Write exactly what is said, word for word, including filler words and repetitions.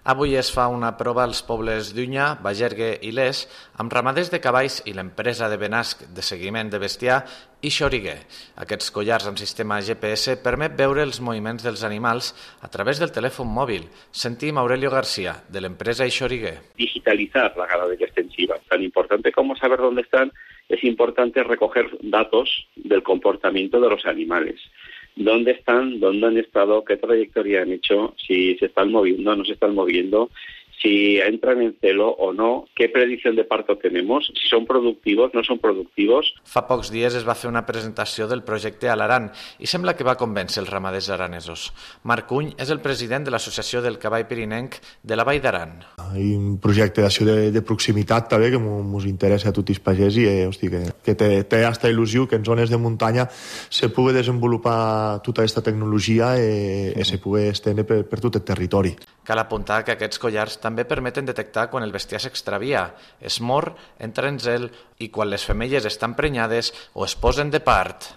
Avui es fa una prova als pobles d'Unya, Bagergue i Les amb ramaders de cavalls i l'empresa de Benasc de seguiment de bestiar i Xoriguer. Aquests collars amb sistema G P S permet veure els moviments dels animals a través del telèfon mòbil. Sentim Aurelio García, de l'empresa Xoriguer. Digitalizar la ganadería extensiva. Tan importante como saber dónde están, es importante recoger datos del comportamiento de los animales. Dónde están, dónde han estado, qué trayectoria han hecho, si se están moviendo, no se están moviendo, si entran en celo o no, qué predicción de parto tenemos, si son productivos, no son productivos. Fa pocs dies es va fer una presentació del projecte a l'Aran i sembla que va convèncer els ramaders aranesos. Marc Uny és el president de l'Associació del Cavall Pirinenc de la Vall d'Aran. Hi ha un projecte d'acció de, de proximitat també que ens interessa a tots els pagesos i eh, hosti, que, que té, té aquesta il·lusió que en zones de muntanya se pugui desenvolupar tota aquesta tecnologia i, i se pugui estendre per, per tot el territori. Cal apuntar que aquests collars també permeten detectar quan el bestiar s'extravia, es mor, entra en zel i quan les femelles estan prenyades o es posen de part.